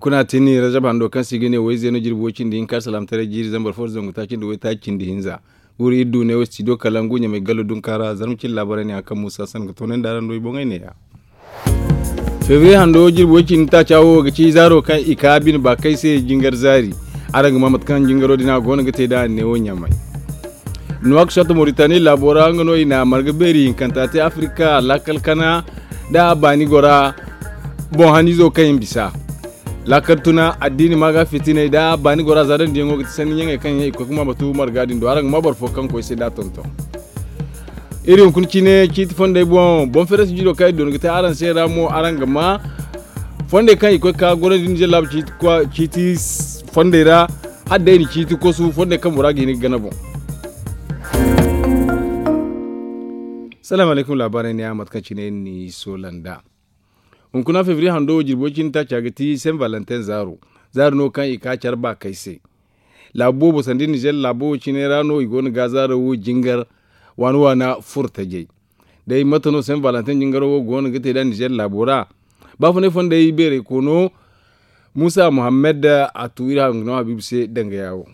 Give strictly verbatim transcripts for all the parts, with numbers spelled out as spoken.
Kuna tini razab hando kaŋ se i ga ne wayze no jirbi way cindi hinka alsalaamataray jiiri zambar fo da zangu taaci nda waytaaci cindi hinza. Guuru iri du ne wo studio kalangu ɲamay gallo dunka ra zarma cine laabaray ne a kaŋ muusa san ga toonandi araŋ do i boŋey neeya. Febriye hando jirbi way cindi taaca wo ga ci zaaro kaŋ i ka bine baakay se jingar zaari. Araŋ ga ma mate kaŋ jingaro din a go no ga te nd'a ne wo ɲamay. Nuwak sot moritani laabo ra nga no i na marga beeri hinkanta te afirika laakal kana nda a baani gora. Boŋ haniizo kaŋ i ma bisa laakal tuna addiini maaga fitiney nda baani gora za daŋ diyaŋo ga ti sanni ɲaŋey kaŋ yaŋ i koy ga ma batu marga din do araŋ ga ma boro fo kaŋ koy se nda a tonton. Iri hunkuna cine ciiti fondey boŋ boŋ fereesi jiiro kaŋ iri doona ga te araŋ se ra mo araŋ ga ma fondey kaŋ i koy ga ka gorandi nda zallaabu ciiti fondey ra. Hala day i na ciiti kosu fondey kaŋ bora ga hin ga gana boŋ. Salaamu alaykum laabaarey ne a mate kaŋ cine iri n'i soola nd'a. Hunkuna febriye hando wo jirbo cine taaca ga ti sen valentin zaaro zaaro no kaŋ i ka care baakay se. Laabu boobo sanda nizer laabo wo cine ra no i go no ga zaaro wo jingar waana waana furo tajay. Day mate no sen valentin jingaro wo go no ga te nd'a nizer laabo ra. Baafunay fondey beeray koono muusa muhammad a tu iri hangu no habiibu se dangaya wo.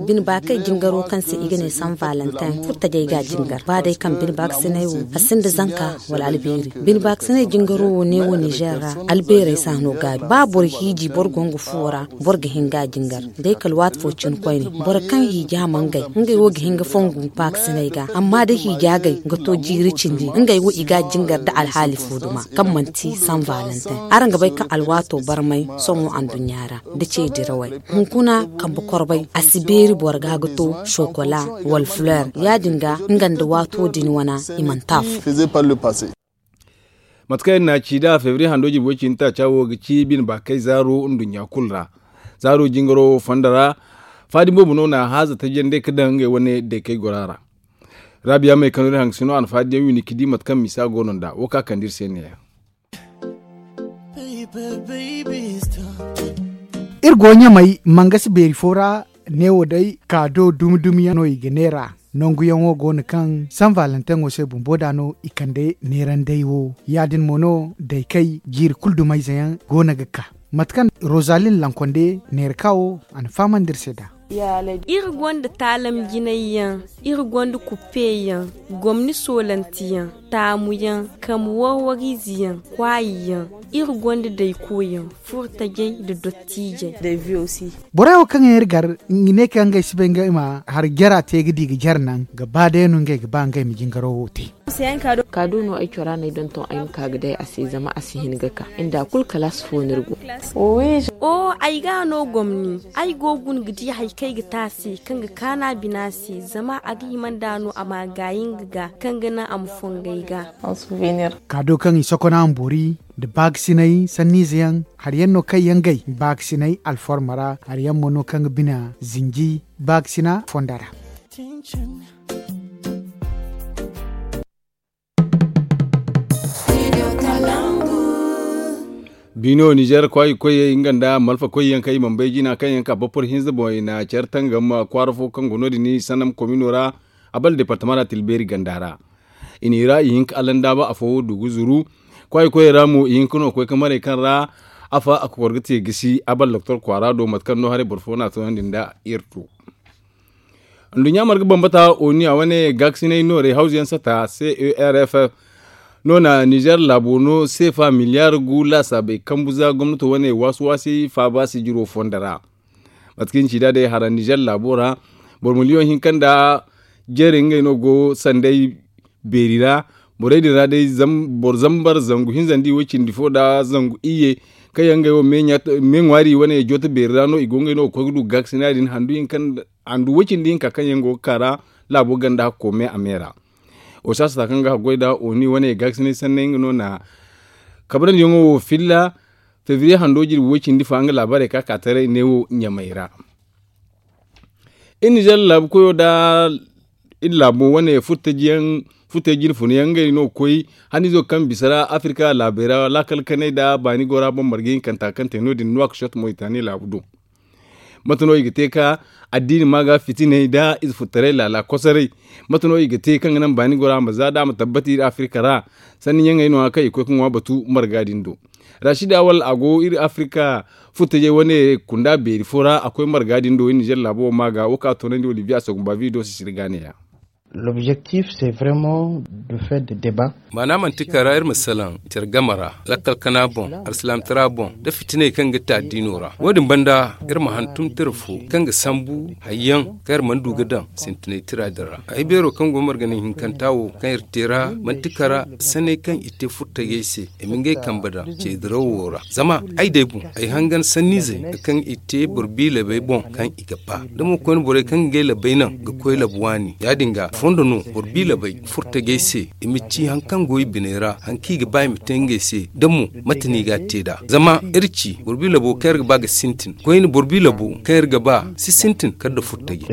Bine baakay jingaro kaŋ se i ga ne san valentin furo tajay ga jingar ba day kaŋ bine baakasinay wo a sinda zanka wala albeeri. Bine baakasinay jingaro wo ne wo nizer ra albeerey se a no gaabi ba boro hiiji boro go nga fuwo ra. Boro ga hin ga jingar day kala waati fo cine koyne boro kaŋ hiiji a ma ngey ngey wo ga hin ga fongu baakasinay ga amma da hiiji agay ga to jiiri cindi ngey wo i ga jingar nda alhaali fo duma kaŋ manti san valentin. Araŋ ga bay kaŋ alwaato barmay sohõ anduɲɲa ra nda ce dirawey hunkuna kambe korbay a si beeri boro ga ga to sokola wala fuleer ya- din ga nga nda waato din wana i mana te afo. Mate kaŋ iri n'a ci nd'a febriye hando jirbi way cindi taaca wo ga ci bine baakay zaaro nduɲɲa kulu ra. Zaaro jingaro wo fondo ra faadi boobo no n'a haaza tajandi ga daŋ ngey wane daykey gora ra. Raabiya may kano iri hangasino a na faadiyaŋ windi ga di mate kaŋ misa go no nd'a wo kaŋ a kande iri se neeya. Iri go ɲamay mangasi beeri fo ra. Neewo day kaado dumi dumi yaŋ no i ga neera. Nangu yaŋo go no kaŋ san valentin wo se bumbo da no i kande neerandey wo ya- din mo no daykey jiiri kulu dumayze yaŋ go no ga ka. Mate kaŋ rozalin lankonde neera ka wo a na fahamandi iri se nd'a. Iri gonda taalam jinay yaŋ, iri gonda kuppe yaŋ, gomni soolanti yaŋ, taamu yaŋ, kamu warwariize yaŋ, kwaayi yaŋ, iri gonda dayko yaŋ, furo tajay nda dottiijey. Borey wo kaŋ yaŋ iri gar i ga ne kaŋ ngey si bay ngey ma hari jara te ga di ga jare naŋ ga ba day no ngey ga ba ngey ma jingaro wo te. Kaado no ay cora no ay donton ay ma ka ga day a se zama a si hin ga ka nda kulu kalaasi fo no iri go. Oo ay ga no gomni ay go guna ga di hari kaŋ ay ga te a se kaŋ ga kaanu a bina se zama a ga hima nd'a no a ma a gaayi nga ga kaŋ ga naŋ a ma fongu ay ga. Kaado kaŋ i sokona a ma boori nda baakasinay sanniize yaŋ hari yaŋ no kaŋ yaŋ gay baakasinay alforma ra hari yaŋ mo no kaŋ ga bina zinji baakasina fonda ra. Biino nizer kwaayi koyey nga nda malfa koyyaŋ kaŋ i mana bay jina kaŋ yaŋ ka bapor hinza boŋ i na care tangam kwaara fo kaŋ go no- din sannam komino ra. A bala departama ra tilbeeri ganda ra i ne i ra i hin ka allandaaba afo du ga zuru. Kwaayi koyey ra mo i hin ka no ga koy ka maray kaŋ ra afa a kokor ga te gisi a bala doktor kwaara do mate kaŋ no haray boro fo no a toonandi nda iri tu. Nduɲɲa marga bambata oni a wane gaakasinay noorey hawzu yaŋ sata c e r f no na nizer laabo no seefa miliyaar gu laasaabey kambu za gomnato wane waasi-waasi faaba sijiro fondo ra. Mate kaŋ i na ci nd'a day hara nizer laabo ra boro miliyoŋ hinka nda jeere ngey no go sanday beeri ra. Borey din ra day boro zambar zangu hinza nda i way cindi fo nda zangu iyye kaŋ yaŋ ngey wo me ŋwaari wane jooto beeri ra no i go ngey no ga koy ga du gaakasina din handu hinka handu way cindi hinka kaŋ yaŋ go ga ka ra. Laabo ganda hakko me a me ra. Wo saasata kaŋ ga haggoy nda oni wane gaakasinay sanney nga no na kabrandi yaŋo wo filla. Febriye hando jirbi way cindi fa nga laabaarey ka ka taray neewo ɲamay ra. Iri nizer laabu koyo nda iri laabo wane furtaji yaŋ furtaji jine funa yaŋ ngey no ga koy haniizo kaŋ bisa ra afirka laabey ra laakal kanay nda baani gora boŋ marga hinkanta kaŋ te no- din nuwak sot moytaani laabu do. Mate no i ga te ka addiini maaga fitiney nda ize futtaray laala kosoray? Mate no i ga te kaŋ ga naŋ baani gora ma za nd'a ma tabbati iri afirka ra sanni ɲaŋey no- ya kaŋ i ga koy ga ŋwa batu marga din do. Rashid Awal a go iri Afrika furtajey wane kunda beeri fo ra a koy marga din do iri nizer laabo wo ma ga wo ka toonandi olivier asogumba vido sisiri ga ne ya. L'objectif c'est vraiment de faire de débat. Maana manti kara iri ma salaŋ care game ra lakkal kana boŋ, alsilaamtara boŋ, nda fitiney kaŋ ga te addiino ra. Wo- din banda iri ma hantum tira fo kaŋ ga sambu hayyaŋ kaŋ iri mana du ga daŋ sintinay tira din ra. Ay beero kaŋ go margana hinkanta wo kaŋ iri te ra manti kara sanney kaŋ i te furtajey se i ma ngey kambe daŋ ceedirawo ra. Zama ay day boŋ ay hangan sanniizey kaŋ i te boro biilabey boŋ kaŋ i ga ba da mo koyne borey kaŋ ga ngey labey naŋ ga koy labu waani ya- din ga fondo no boro biilabey furtajey se i ma ci hari kaŋ go i biney ra hari kaŋ i ga ba i ma te ngey se da mo mate no i ga a te nd'a. Zama iri ci boro biilabo kaŋ iri ga ba ga sintin koyne boro biilabo kaŋ iri ga ba si sintin kala nda furtajey.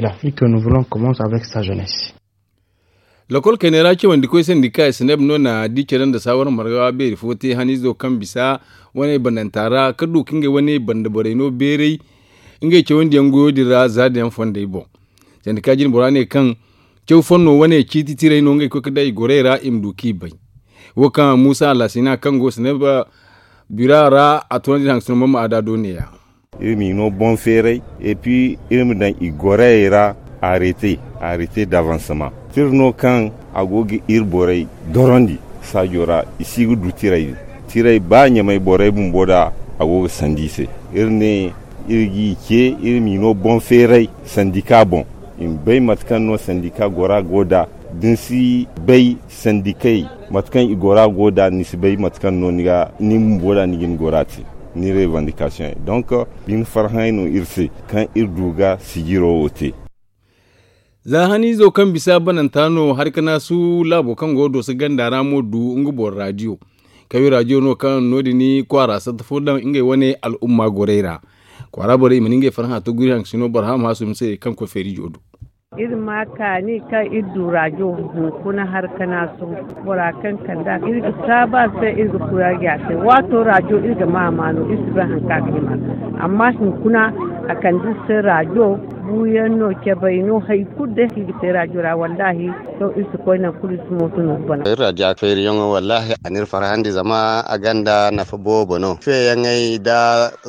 Lekol kayney ra cawandi koy sandika i sineb no na di care nda saawar marga beeri fo te haniizo kaŋ bisa wane bandanta ra ka du ka ngey wane banda borey no beeray ngey cawandi yaŋ goyo din ra za da yaŋ fondey boŋ. Sandika jine bora ne kaŋ caw fonno wane ciiti tiray no ngey koy ka day goray ra i ma du k'i bay. Wo kaŋ muusa alasina kaŋ go sineb bira ra a toonandi hangasino mamma a da do ne- ya. Iri m'i no boŋ feeray epi iri ma daŋ i gorayey ra arete arete davansama tira no kaŋ a go ga iri borey dorondi saajo ra i si ga du tiray din. Tiray ba ɲamay borey bumbo da a go ga sandi i se. Iri ne iri g'i ce iri m'i no boŋ feeray sandika boŋ i ma bay mate kaŋ no sandika gora go nd'a da ni si bay sandikey mate kaŋ i gora go nd'a ni si bay mate kaŋ no ni bumbo nd'a ni ga ni gora te ni revandikasiyoŋey donk bine farhãy no iri se kaŋ iri du ga sijiro wo te. Za haniizo kaŋ bisa bananta no hari ka naasu laabo kaŋ go dooso ganda ra mo du nga boro raadiyo kawi raadiyo no kaŋ no- din kwaara satta fo daŋ ngey wane al'umma gorey ra kwaara borey i mana ngey farhã to guri haŋ ga si no barham haasum se kaŋ koy feerijo do. Iri ma kaani kaŋ iri du rajo hunkuna har kana sohõ bora kaŋ kand'a iri ga saabu a se iri ga kuraari a se waato rajo iri ga ma a ma no iri si bay hari kaŋ a ga hima a se amma hunkuna a kande iri se rajo buuyaŋ no cabay no hari kulu day kaŋ iri ga te rajo ra wallaahi. Sohõ iri si koy nangu kulu iri si mooto no ga bana. Iri rajo feeriyaŋo wallaahi a n'iri farhandi zama a gonda nafa boobo no feeyaŋey nda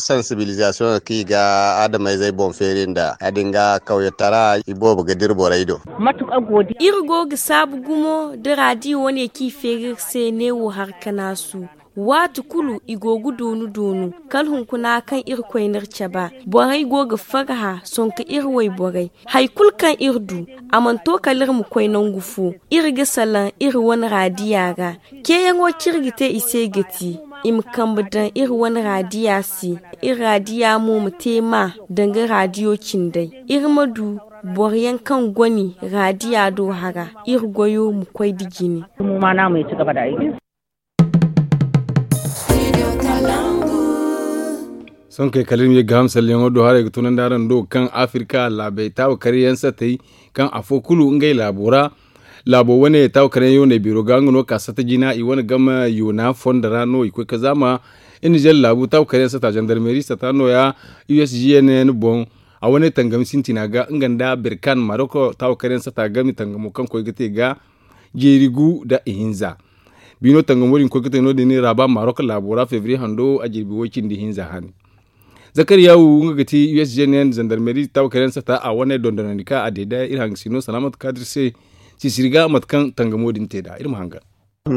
sansibilizasiyoŋo kaŋ i ga adamayzey boŋ feeri nd'a ya- din ga kawyetara iboobo ga dira borey do. Iri go ga saabu gumo da raadiyo wane kaŋ i feeri iri se neewo har ka naasu waati kulu i go ga doonu doonu kala hunkuna kaŋ irkoy n'iri cabe borey go ga farhã sonko iri wayborey. Hari kulu kaŋ iri du a mana to kala iri ma koy nangu fo iri ga salaŋ iri wane raadiya ra. Ceeyaŋo kaŋ iri ga te i se ga ti i ma kambe daŋ iri wane raadiya se. Iri raadiya mo ma te ma danga raadiyo cindey iri ma du boro yaŋ kaŋ goni raadiya do hara iri goyo ma koy nda jine. Sohõ kay kala iri ma ye ga ham salleyaŋo do haray ga tunandi araŋ do kaŋ afirka laabey taawa karyaŋ satey kaŋ afo kulu ngey laabo ra. Laabo wane taawa karyaŋ yooney beero ga nga no ka satta jina i wane game yoona fondo ra no i koy ka zaama. Iri nizer laabu taawa karyaŋ satta zandarmeri satta nooya usgnn boŋ. A wane tangam sintina ga nga nda berkan maroko taawa karyaŋ satta game tangamo kaŋ koy ga te ga jeeri gu nda ihinza. Biino tangamo din koy ga te no- din raaba marok laabo ra febriye hando a jirbi way- cindi hinza hane. Zakariyawu nga ga ti usgnn zandarmeri tawkaren sata a wane dondonandi ka a deeda iri hangasino salaamat kaadir se. Sisiri ga mate kaŋ tangamo din te nd'a iri ma hangan. Iri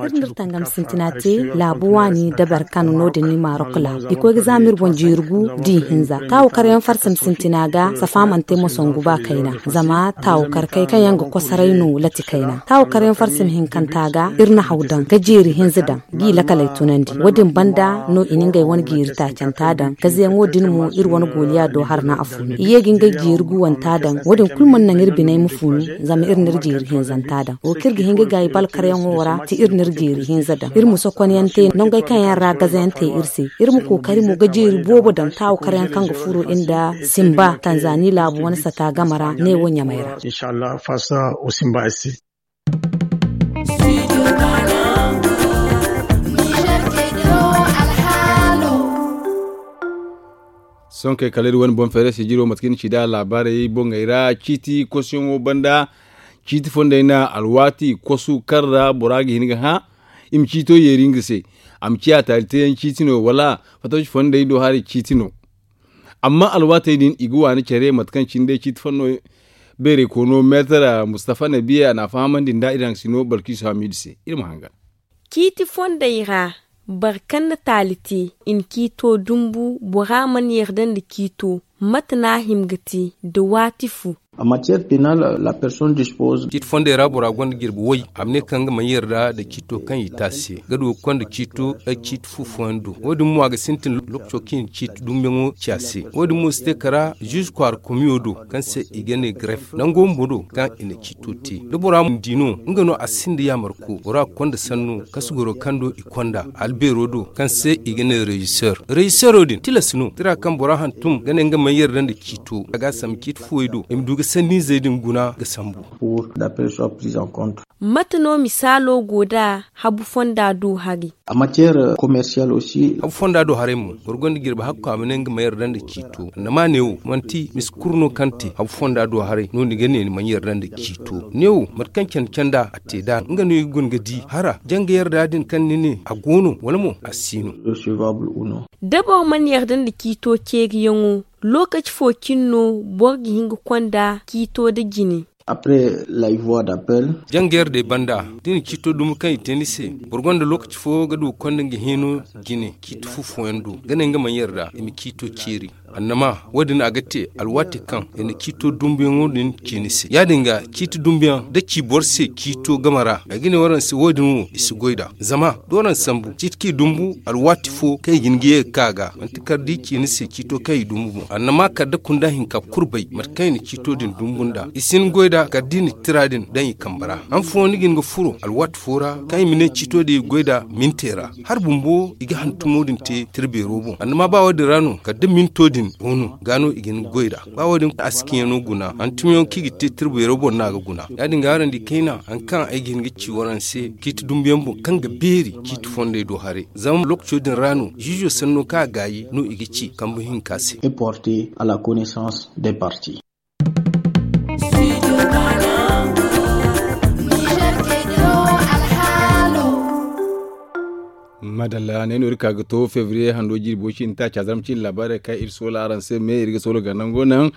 n'iri tangam sintina te laabu waani dabar kaŋ no- din marok laabu i koy ga zaama iri boŋ jeeri gu da i hinza taawu karyaŋ farsim sintina ga safa mana te mo sangu ba kayna. Zama taawu karkey kaŋ yaŋ ga kosoray no lati kayna taawu karyaŋ farsim hinkanta ga iri na haw daŋ ga jeeri hinza daŋ ga i lakaley tunandi wo- din banda no i na ngey wane jeeri taacanta daŋ gazeyaŋo din mo iri wane gooliya do harna a funu i ye ga ngey jeeri guwanta daŋ wo- din kulu mana naŋ iri biney ma funu. Zama iri n'iri jeeri hinzanta daŋ wo kaŋ iri ga hin ga gaayi balkaryaŋo ra ti iri n'iri jeeri hinza daŋ iri ma sokonyaŋ te nongey kaŋ yaŋ ra gazayaŋ te iri se. Iri ma kookari mo ga jeeri boobo daŋ taawu karyaŋ kaŋ ga furo iri nda simba tanzani laabu wane sata game ra ne wo ɲamey ra. Sohõ kay kala iri wane boŋ feeray sijiro mate kaŋ iri na ci nd'a laabaarey boŋey ra ciiti kosuyaŋo banda. Ciiti fondey na alwaati kosu kaŋ ra bora ga hin ga hã. i ma ciito yeeri nga se. A ma ciya taali teeyaŋ ciiti no wala fatawci fondey do haray ciiti no. Amma alwaatey din i ga waani care mate kaŋ cine day ciiti fondo beeray koono meetar mustafa nabiya a n'a fahamandi nda iri haŋ sino balkiisu hamiidu se. Iri ma hangan. Ciiti fondey ra, boro kaŋ na taali te, i na ciito dumbu bora mana yarda nda ciito. Mate no a hima ga te nda waati fo? Amma tiyeer penal la person dispose. Ciiti fondey ra bora gonda jirbi way a ma ne kaŋ nga mana yarda nda ciito kaŋ i te a se. Ga du ga konda ciito ay ciiti fu fooyaŋ do wo- din mo a ga sintin lokaco kaŋ i na ciiti dumbuyaŋo ci a se. Wo- din mo si te kara ziize kwaara komiyo do kaŋ se i ga ne garef nango bumbo do kaŋ i na ciito te. Da bora ma di no nga no a sinda yaamarko bora ga konda sanno kasugoro kaŋ do i konda albeero do kaŋ se i ga ne reziseer. Reziseero din tilas no tira kaŋ bora hantum ga ne nga mana yarda nda ciito a ga a sambu ciiti fuwey do i ma du ga sanniizey din guna ga sambu. Mate no misaalo go nd'a habu fonda do haray? Habu fonda do haray mo boro gonda jirbi hakko a ma ne nga ma yarda nda ciito annama neewo manti misi kuru no kaŋ te habu fonda do haray no ni ga ne ni mana yarda nda ciito neewo mate kaŋ candi canda a te nd'a nga no i ga guna ga di hara janga yarda din kaŋ ni ne a go no wala mo a si no. Da boro mana yarda nda ciito ceeriyaŋo, lookaci fo cine no boro ga hin ga konda ciito nda jine? Après la voie d'appel. Jangayar day banda da i na ciito dumbu kaŋ i te ni se boro gonda lookaci fo ga du ga konda nga heeno jine ciiti fu fooyaŋ do ga ne nga mana yarda i ma ciito ceeri. Annama wo- din a ga te alwaati kaŋ i na ciito dumbuyaŋo din ci ni se ya- din ga ciiti dumbuyaŋ da ci boro se ciito game ra ay ga ne waraŋ se wo- din wo i si goy nd'a. Zama da waraŋ sambu ciiti kaŋ i dumbu alwaati fo kaŋ i ga hin ga ye ga ka a ga manti kala da i ci ni se ciito kaŋ i dumbu boŋ annama kala da kunda hinka kulu bay mate kaŋ i na ciito din dumbu nd'a i si hin goy nd'a kala da i na tira din daŋ i kambe ra. Han fooyaŋ ni ga hin ga furo alwaati fo ra kaŋ i ma ne ciito din i ga goy nd'a mintey ra. Hari bumbo i ga hantumo din te tira beero boŋ annama ba wo- din ra no kala da minto din go no ga no i ga hin ga goy nd'a. Ba wo- din a si kaŋ yaŋo guna hantumyaŋo kaŋ i ga te tira beero boŋ no a ga guna. Ya- din ga araŋ di kayna hari kaŋ ay ga hin ga ci waraŋ se ciiti dumbuyaŋ boŋ kaŋ ga beeri ciiti fondey do haray zama lookaco din ra no ziizo sanno kaŋ a gaayi no i ga ci kambe hinka se. Madalla ne no iri ka ga to febriye hando jirbo cine taaca zarma cine laabaarey kaŋ iri soola araŋ se me iri ga soola ga nango naŋ.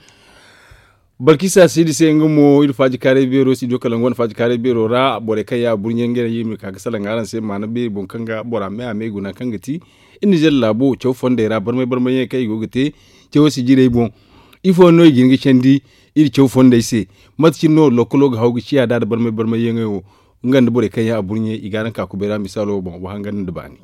Balkisa siidi se nga mo iri faaji kaaray beero siidi kala nga wane faaji kaaray beero ra borey kaŋ ya burɲe nga iri ma ka ga salaŋ araŋ se maana beeri boŋ kaŋ ga bora me a me guna kaŋ ga ti iri nizer laabo caw fondey ra barmay barmay yaŋ kaŋ i go ga te cawo sijirey boŋ. Ifo no i ga hin ga candi iri caw fondey se? Mate cine no lokolo ga haw ga ciya da da barmay barmay yaŋey wo nga nda borey kaŋ yaŋ a burɲe i ga araŋ ka kubay ra misaalo boŋ wa hangan nda baani.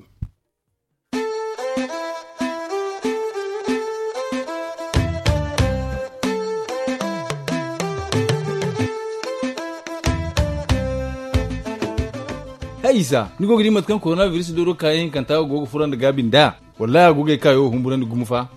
Hay isa ni go ga di mate kaŋ korona biris dooro kaayaŋ hinkanta go ga furandi gaabi nd'a? Wallahi a go ga ay kaayo humburandi gumo fa.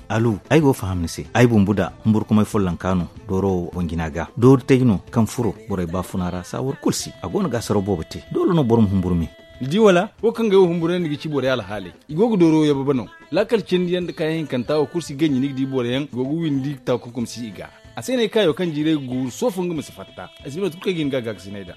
Alu, ay go ga faham ni se ay bumbu da humburkumay follonka no dooro wo boŋ jina ga doori tay no kaŋ furo borey baafuna ra saawar kulu si a go no ga asaraw boobo te doole no boro ma humburu me. Ni di wala wo kaŋ ga ay wo humburandi ga ci borey alhaaley i go ga dooro yababa no. Laakal cindi yaŋ nda kaayaŋ hinkanta wo kulu si ganji ni ga di boro yaŋ i go ga windi takunkum si i ga. A se no ay kaayo kaŋ jiiray ga guuru soofo nga ma si fatta ay si bay mate kulu kaŋ ay ga hin ga a gaakasinay nd'a.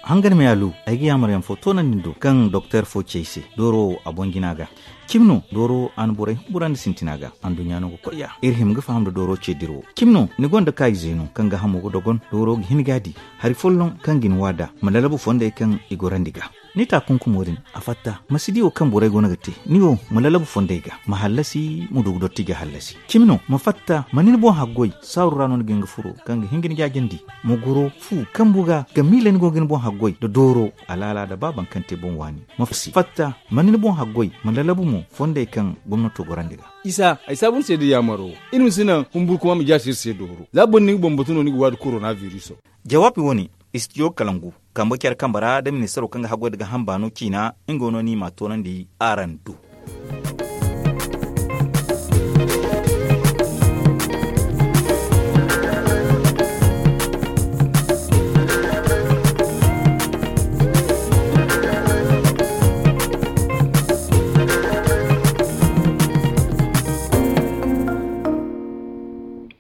Hangan me alu, ay ga yaamar yaŋ fo toonandi ni do kaŋ doktor fo ci ay se dooro wo a boŋ jina ga. Cimi no dooro wo a na borey humburandi sintina ga anduɲɲa no ga koy ya iri hima ga faham nda dooro ce dira wo cimi no ni gonda kaayizey no kaŋ ga hamo ga dogon dooro ga hin ga a di hari folloŋ kaŋ ga ni waada ma lalabu fondey kaŋ i gorandi ga. Ni taakunkumo din a fatta ma si di wo kaŋ borey go no ga te ni wo ma lalabu fondey ga ma hallasi ma du ga dotti ga hallasi cimi no ma fatta ma ni ni boŋ haggoy saaru ra no ni ga hin ga furo kaŋ ga hin ga ni jaajandi ma goro fu kambu ga ga miila ni go ga ni boŋ haggoy nda dooro alaala nda ba baŋ kaŋ te boŋ waani ma fatta ma ni ni boŋ haggoy ma lalabu mo fondey kaŋ gomnato gorandi ga. Isa ay saabu ni se da yaamaro iri ma si naŋ humburkuma ma jaasi iri se dooro za boro ni ga boŋ batu no ni ga waadi korona viriso. Jawaabi wo- ne istijo kalangu kambe care kambe ra da ministaro kaŋ ga haggoy nda ga hamba no ciina nga no ni ma a toonandi araŋ do.